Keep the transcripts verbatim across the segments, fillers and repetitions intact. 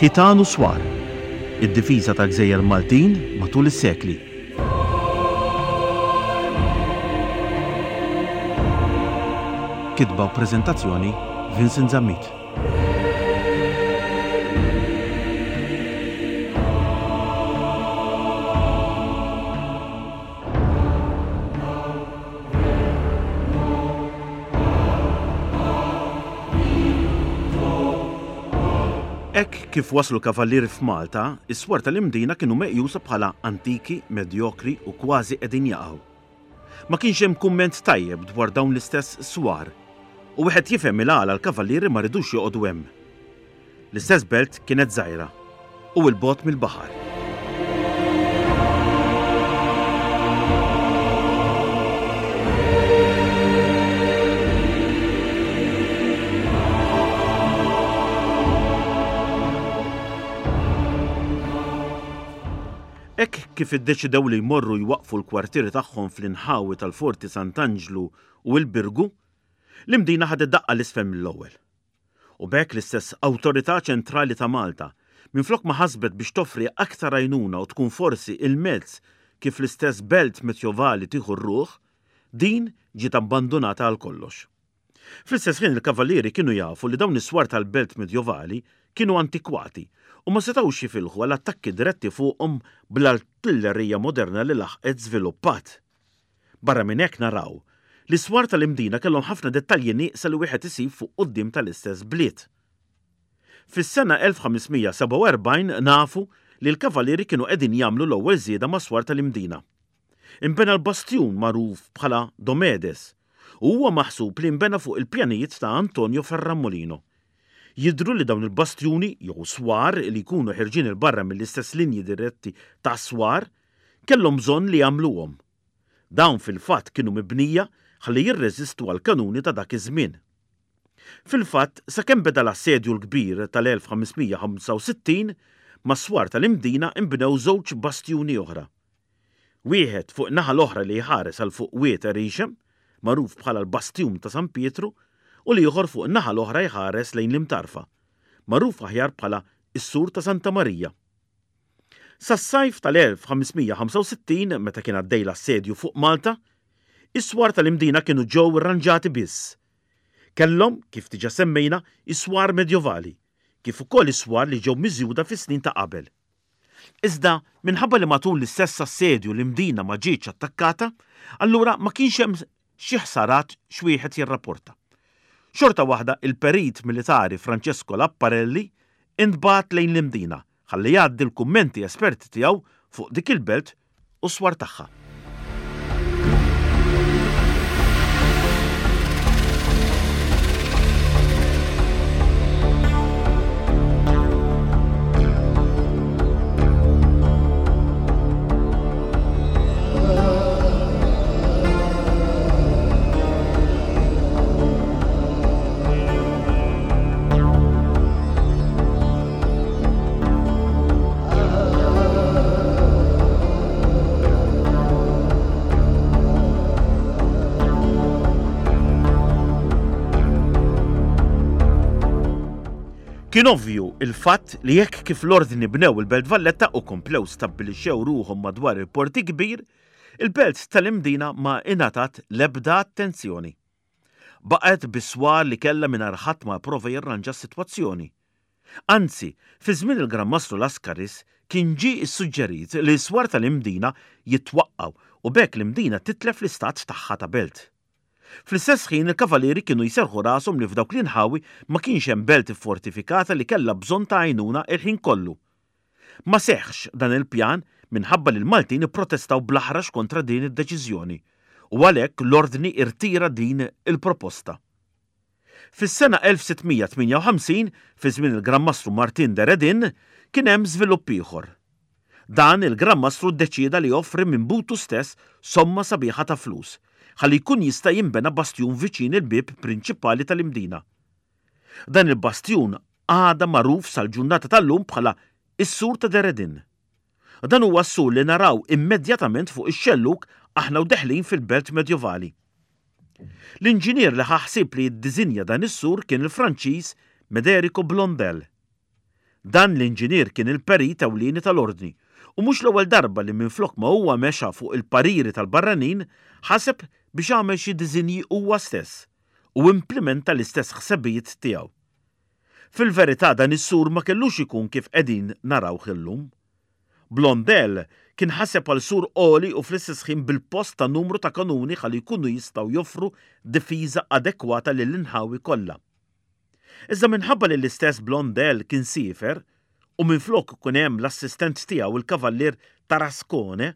Ħitan u Swar, id-difiża tal-gżejjer Maltin matul is-sekli. Kitba u preżentazzjoni Vincent Zammit. Hekk kif waslu l-Kavallieri f'Malta, is-swar tal-Imdina kienu meqjusa bħala antiki, medjokri u kważi qegħdin jaqgħu. Ma kienx hemm kumment tajjeb dwar dawn l-istess swar, u wieħed jifhem il-għala l-Kavallieri ma ridux joqogħdu hemm. L-istess belt kienet żgħira u 'l bogħod mill-baħar. Hekk kif iddeċidew li jmorru jwaqqfu l-kwartieri tagħhom fl-inħawi tal-Forti Sant'Anġlu u l-Birgu, l-Imdina ħadet daqqa l-isfel mill-ewwel. U b'hekk l-istess Awtorità Ċentrali ta' Malta, minflok ma ħasbet biex toffri aktar għajnuna u tkun forsi il-mezz kif l-istess belt medjovali tieħu r-ruħ, din ġiet abbandunata għal kollox. Fl-istess ħin il-Kavallieri kienu jafu li dawn is-swar tal-belt medjovali kienu antikwati u ma setgħux jifilħu għal attakki diretti fuqhom bl-artillerija moderna li laħqet żviluppat. Barra minn hekk naraw li s-swar tal-Imdina kellhom ħafna dettalji nieqsa li wieħed isib fuq quddiem tal-istess bliet. Fis-sena elf ħames mija sebgħa u erbgħin nafu li l-Kavallieri kienu qegħdin jagħmlu l-ewwel żieda mas-swar tal-Imdina. Inbena l-bastjun magħruf bħala Domedes u huwa maħsub li nbena fuq il-pjanijiet ta' Antonio Ferramolino. Jidhru li dawn il-bastjuni jew swar li jkunu ħirġin 'il barra mill-istess linji diretti ta' swar kellhom bżonn li jagħmluhom. Dawn fil-fatt kienu mibnija ħalli jirreżistu għall-kanuni ta' dak iż-żmien. Fil-fatt, sakemm beda l-assedju l-kbir tal-elf ħames mija ħamsa u sittin, mas-swar tal-Imdina inbnew żewġ bastjuni oħra. Wieħed fuq naħa l-oħra li jħares għal fuq Wied Erixem, magħruf bħala l-Bastjun ta' San Pietru, u l-ieħor fuq naħa l-oħra jħares lejn l-Imtarfa, magħruf aħjar bħala s-Sur ta' Santa Marija. Sas-sajf tal-elf ħames mija ħamsa u sittin, meta kien għaddej l-assedju fuq Malta, is-swar tal-Imdina kienu ġew irranġati biss. Kellhom, kif diġà semmejna, is-swar medjovali, kif ukoll is-swar li ġew miżjuda fis-snin ta' qabel. Iżda, minħabba li matul l-istess assedju l-Imdina ma ġietx attakkata, allura ma kienx hemm xi ħsarat x'wieħed jirrapporta. Xorta waħda il-perit militari Francesco Lapparelli intbagħat lejn l-Imdina ħalli jgħaddi l-kummenti esperti tiegħu fuq dik il-belt u s-swar tagħha. Kien ovvju il-fatt li jekk kif l-ordni bnew il-Belt Valletta u komplew stabbilixxew ruħhom madwar il-Port Kbir, il-belt tal-Imdina ma ingħatat l-ebda attenzjoni. Baqgħet bis-swar li kellha mingħajr ħadd ma prova jirranġa s-sitwazzjoni. Anzi, fi żmien il-Gran Mastru Lascaris kien ġie ssuġġerit li s-swar tal-Imdina jitwaqqgħu u b'hekk l-Imdina titlef l-istat tagħha ta' belt. Fl-istess ħin il-Kavallieri kienu jserħu rashom li f'dawk l-inħawi ma kienx hemm belt iffortifikata li kellha bżonn ta' għajnuna il-ħin kollu. Ma seħħx dan il-pjan minħabba li l-Maltin ipprotestaw bl-aħrax kontra din id-deċiżjoni u għalhekk l-ordni irtira din il-proposta. Fis-sena elf sitt mija tmienja u ħamsin, fi żmien il-Gran Mastru Martin de Redin, kien hemm żvilupp ieħor. Dan il-Gran Mastru ddeċieda li joffri minn butu stess somma sabiħa ta' flus, ħalli jkun jista' jinbena bastjun viċin il-bieb prinċipali tal-Imdina. Dan il-bastjun għada magħruf sal-ġurnata tal-lum bħala is-Sur ta' De Redin. Dan huwa s-sur li naraw immedjatament fuq ix-xelluk aħna u deħlin fil-belt medjovali. L-inġinier li ħa ħsieb li jiddiżinja dan is-sur kien il-Franċiż Mederico Blondel. Dan l-inġinier kien il-perit ewlieni tal-Ordni u mhux l-ewwel darba li minflok ma huwa mexa fuq il-pariri tal-barranin ħaseb biex għamel xi diżinji huwa stess u implimenta l-istess ħsebijiet tiegħu. Fil-verità dan is-sur ma kellux ikun kif qegħdin narawh illum. Blondel kien ħaseb għal sur għoli u fl-istess ħin bil-post ta' numru ta' kanuni ħalli jkunu jistgħu joffru difiża adekwata lill-inħawi kollha. Iżda minħabba li l-istess Blondel kien siefer u minflok ikun hemm l-assistent tiegħu il-Kavallier Tarascone,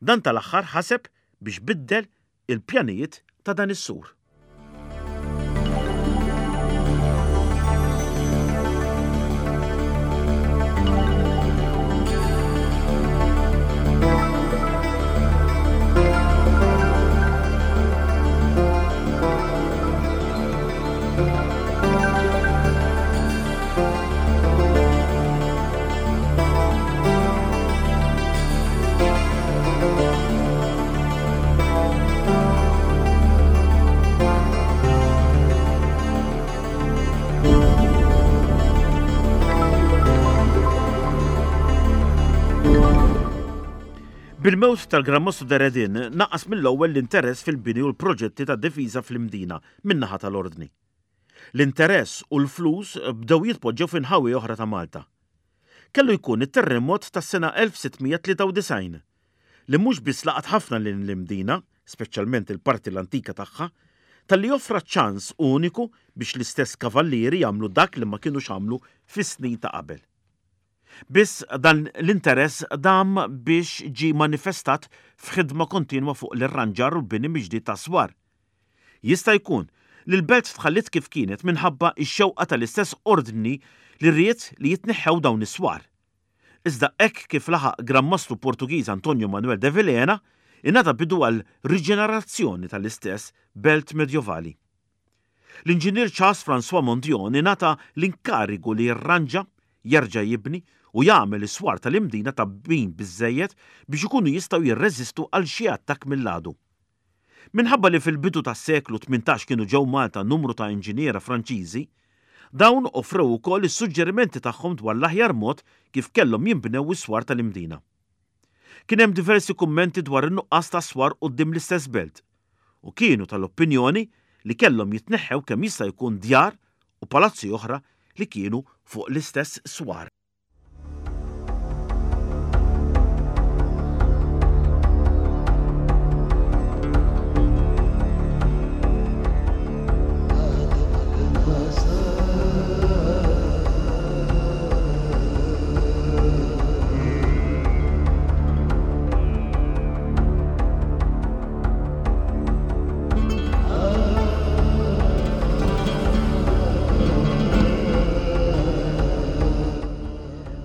dan tal-aħħar ħaseb biex biddel il-pjanijiet ta' dan is-sur. Bil-mewt tal-Gran Mastru de Redin naqas mill-ewwel l-interess fil-bini u l-proġetti ta' difiża fl-Imdina min-naħa tal-Ordni. L-interess u l-flus bdew jitpoġġew f'inħawi oħra ta' Malta. Kellu jkun it-terremot tas-sena elf sitt mija tlieta u disgħin li mhux biss laqat ħafna lil l-Imdina, speċjalment il-parti l-antika tagħha, talli offra ċans uniku biex l-istess kavallieri jagħmlu dak li ma kinux għamlu fis-snin ta' qabel. Biss dan l-interess dam biex ġie manifestat f'ħidma kontinwa fuq l-irranġar u l-bini miġdid ta' swar. Jista' jkun li l-belt tħallit kif kienet minħabba x-xewqa tal-istess ordni li ried li jitneħħew dawn is-swar. Iżda hekk kif laħaq Gran Mastru Portugiż Antonio Manuel de Vilhena, ingħata bidu għal riġenerazzjoni tal-istess belt medjovali. L-inġinier Charles François Mondion ingħata l-inkarigu li jirranġa, jerġa' jibni u jagħmel is-swar tal-Imdina ta' bin biżżejjed biex ikunu jistgħu jirreżistu għal xi attakk mill-għadu. Minħabba li fil-bidu tas-seklu tmintax kienu ġew Malta numru ta' inġiniera Franċiżi, dawn offrew ukoll is-suġġerimenti tagħhom dwar l-aħjar mod kif kellhom jinbnew is-swar tal-Imdina. Kien hemm diversi kummenti dwar in-nuqqas ta' swar quddiem l-istess belt u kienu tal-opinjoni li kellhom jitneħħew kemm jista' jkun djar u palazzi oħra li kienu fuq l-istess swar.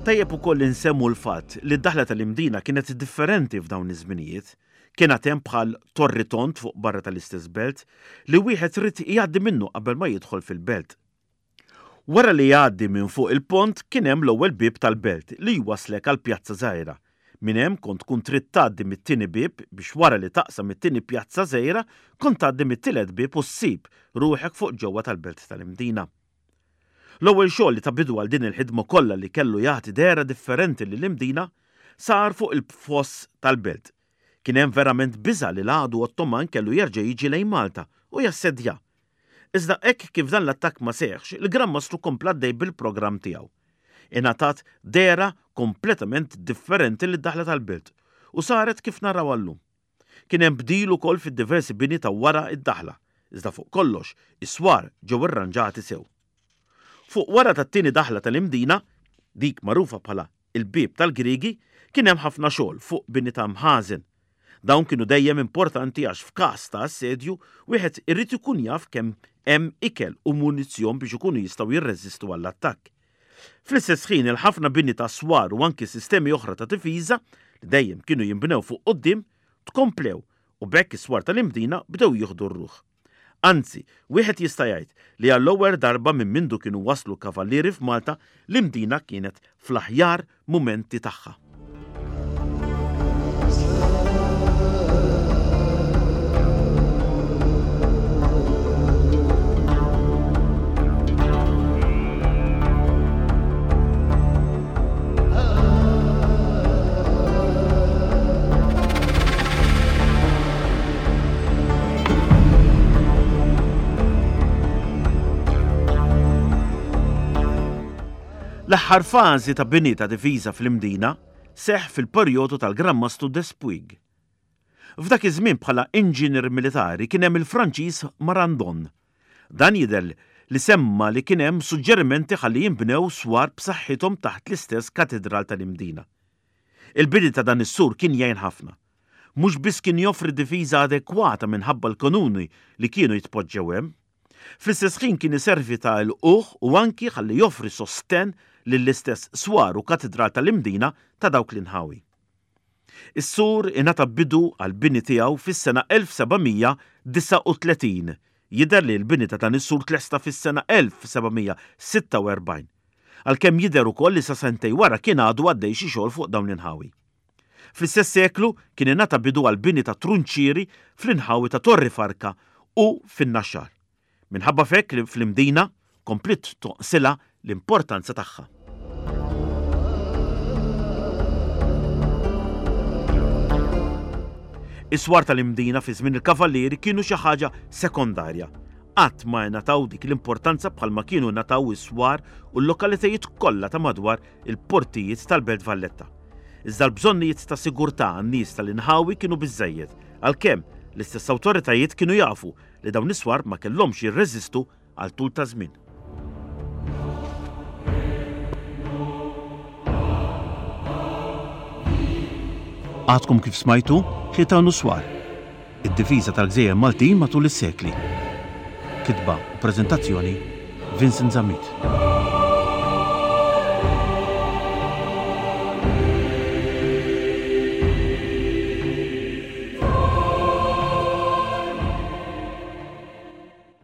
Tajjeb ukoll insemmu l-fatt li d-daħla tal-Imdina kienet differenti f'dawn iż-żminijiet. Kien għad hemm bħal torri tond fuq barra tal-istess belt li wieħed ried jgħaddi minnu qabel ma jidħol fil-belt. Wara li jgħaddi minn fuq il-pont kien hemm l-ewwel bieb tal-belt li jwaslek għal pjazza żgħira. Minn hemm kont tkun trid tgħaddi mit-tieni bieb biex wara li taqsam it-tieni pjazza żgħira kont tgħaddi mit-tielet bieb u ssib ruħek fuq ġewwa tal-belt tal-Imdina. L-ewwel xogħol li ta' bidu għal din il-ħidma kollha li kellu jagħti dehra differenti lill-Imdina sar fuq il-foss tal-belt. Kien hemm verament biża' li l-għadu Ottoman kellu jerġa' jiġi lejn Malta u jassedja. Iżda hekk kif dan l-attakk ma seħħx, il-Gran Mastru kompla għaddej bil-programm tiegħu. Ingħatat dehra kompletament differenti lid-daħla tal-belt u saret kif naraw llum. Kien hemm bdil ukoll fid-diversi bini ta' wara id-daħla, iżda fuq kollox is-swar ġew irranġati sew. Fuq wara tat-tieni daħla tal-Imdina, dik magħrufa bħala il-bieb tal-Griegi, kien hemm ħafna xogħol fuq bini ta' mħażen. Dawn kienu dejjem importanti għax f'każ ta' assedju wieħed irid ikun jaf kemm hemm ikel u munizzjon biex ikunu jistgħu jirreżistu għall-attakk. Fl-istess ħin il-ħafna bini ta' swar u anki sistemi oħra ta' difiża li dejjem kienu jinbnew fuq quddiem tkomplew u b'hekk is-swar tal-Imdina bdew jieħdu r-ruħ. Anzi, wieħed jista' jgħid li għall-ewwel darba minn mindu kienu waslu kavallieri f'Malta, l-Imdina kienet fl-aħjar mumenti tagħha. L-aħħar fażi ta' bini ta' difiża fl-Imdina seħħ fil-perjodu tal-Gran Mastru Despuig. F'dak iż-żmien bħala inġinier militari kien hemm il-Franċiż Marandon. Dan jidher li semma li kien hemm suġġerimenti ħalli jinbnew swar b'saħħithom taħt l-istess katedral tal-Imdina. Il-bini ta' dan is-sur kien jgħin ħafna. Mhux biss kien joffri difiża adekwata minħabba l-kanuni li kienu jitpoġġew hemm, fl-istess ħin kien iservi ta' lqugħ u anki ħalli joffri sostenn lill-istess swar u katedral tal-Imdina ta' dawk l-inħawi. Is-sur ingħata bidu għall-bini tiegħu fis-sena elf seba' mija disgħa u tletin. Jidher li l-bini ta' dan is-sur tlesta fis-sena elf seba' mija sitta u erbgħin. Għalkemm jidher ukoll li sa sentej wara kien għadu għaddej xi xogħol fuq dawn l-inħawi. Fl-istess seklu kien ingħata bidu għall-bini ta' trunċieri fl-inħawi ta' Torri Farka u fin-Naxxar. Minħabba f'hekk li fl-Imdina kompliet toqsilha l-importanza tagħha. Is-swar tal-Imdina fi żmien il-Kavallieri kienu xi ħaġa sekondarja. Qatt ma ngħataw dik l-importanza bħalma kienu ngħataw is-swar u l-lokalitajiet kollha ta' madwar il-portijiet tal-Belt Valletta. Iżda l-bżonnijiet ta' sigurtà għan-nies tal-inħawi kienu biżżejjed, għalkemm l-istess awtoritajiet kienu jafu li dawn is-swar ma kellhomx jirreżistu għal tul ta' żmien. Għadkom kif smajtu Ħitan u Swar, id-difiża tal-Gżejjer Maltin matul is-sekli. Kitba u preżentazzjoni Vincent Zammit.